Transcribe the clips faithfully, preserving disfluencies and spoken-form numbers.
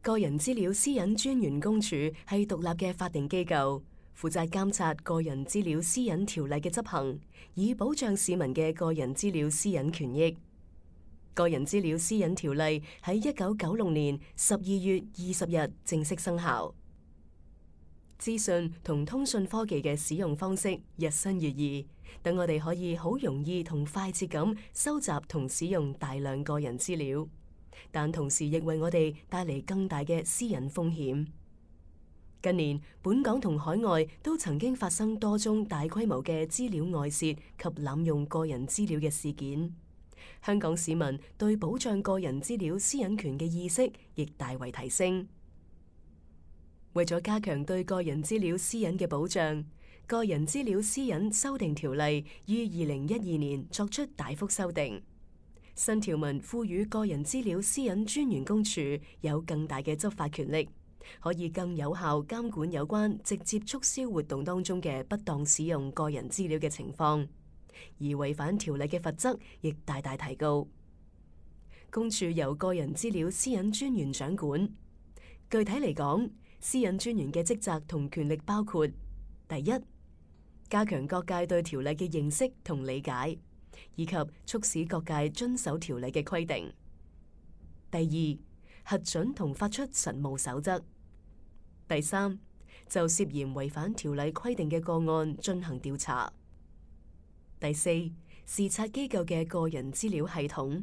個人資料私隱專員公署係獨立嘅法定機構，負責監察個人資料私隱條例嘅執行，以保障市民嘅個人資料私隱權益。個人資料私隱條例喺一九九六年十二月二十日正式生效。資訊同通訊科技嘅使用方式日新月異，等我哋可以好容易同快捷咁收集同使用大量個人資料，但同時亦為我哋帶嚟更大嘅私隱風險。近年，本港同海外都曾經發生多宗大規模嘅資料外泄及濫用個人資料嘅事件。香港市民對保障個人資料私隱權嘅意識亦大為提升。為咗加強對個人資料私隱嘅保障，個人資料私隱修訂條例於二零一二年作出大幅修訂。新條文賦予個人資料私隱專員公署有更大嘅執法權力，可以更有效監管有關直接促銷活動當中嘅不當使用個人資料嘅情況，而違反條例嘅罰則亦大大提高。公署由個人資料私隱專員掌管。具體嚟講，私隱專員嘅職責同權力包括：第一，加強各界對條例嘅認識同理解，以及促使各界遵守條例嘅規定；第二，核准同發出實務守則；第三，就涉嫌違反條例規定嘅個案進行調查；第四，視察機構嘅個人資料系統；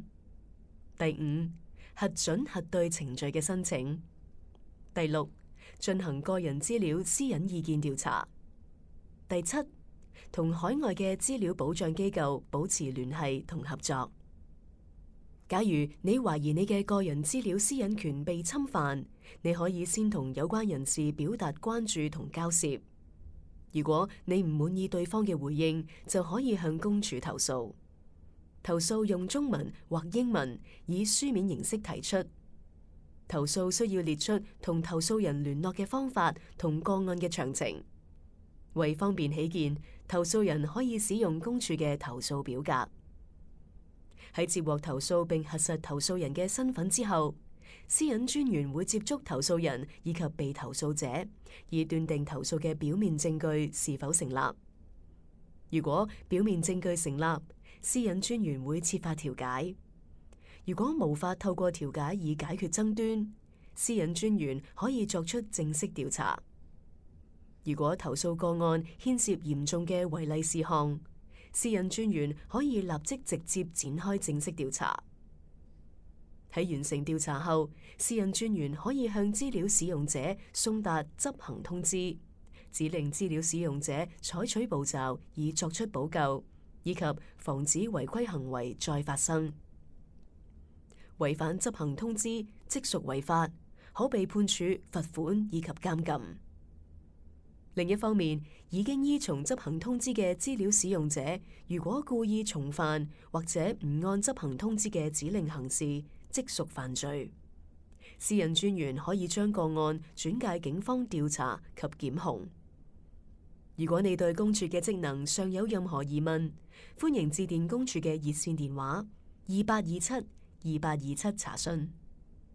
第五，核准核對程序嘅申請；第六，進行個人資料私隱意見調查；第七，同海外嘅資料保障機構保持聯繫同合作。假如你懷疑你嘅個人資料私隱權被侵犯，你可以先同有關人士表達關注同交涉。如果你唔滿意對方嘅回應，就可以向公署投訴。投訴用中文或英文以書面形式提出。投訴需要列出同投訴人聯絡嘅方法同個案嘅詳情。為方便起見，投訴人可以使用公署嘅投訴表格。喺接獲投訴並核實投訴人嘅身份之後，私隱專員會接觸投訴人以及被投訴者，以斷定投訴嘅表面證據是否成立。如果表面證據成立，私隱專員會設法調解。如果無法透過調解以解決爭端，私隱專員可以作出正式調查。如果投訴個案牽涉嚴重嘅違例事項，私隱專員可以立即直接展開正式調查。喺完成調查後，私隱專員可以向資料使用者送達執行通知，指令資料使用者採取步驟以作出補救，以及防止違規行為再發生。違反執行通知即屬違法，可被判處罰款以及監禁。另一方面，已經依從執行通知嘅資料使用者，如果故意重犯或者唔按執行通知嘅指令行事，即屬犯罪。私隱專員可以將個案轉介警方調查及檢控。如果你對公署嘅職能尚有任何疑問，歡迎致電公署嘅熱線電話二八二七二八二七查詢。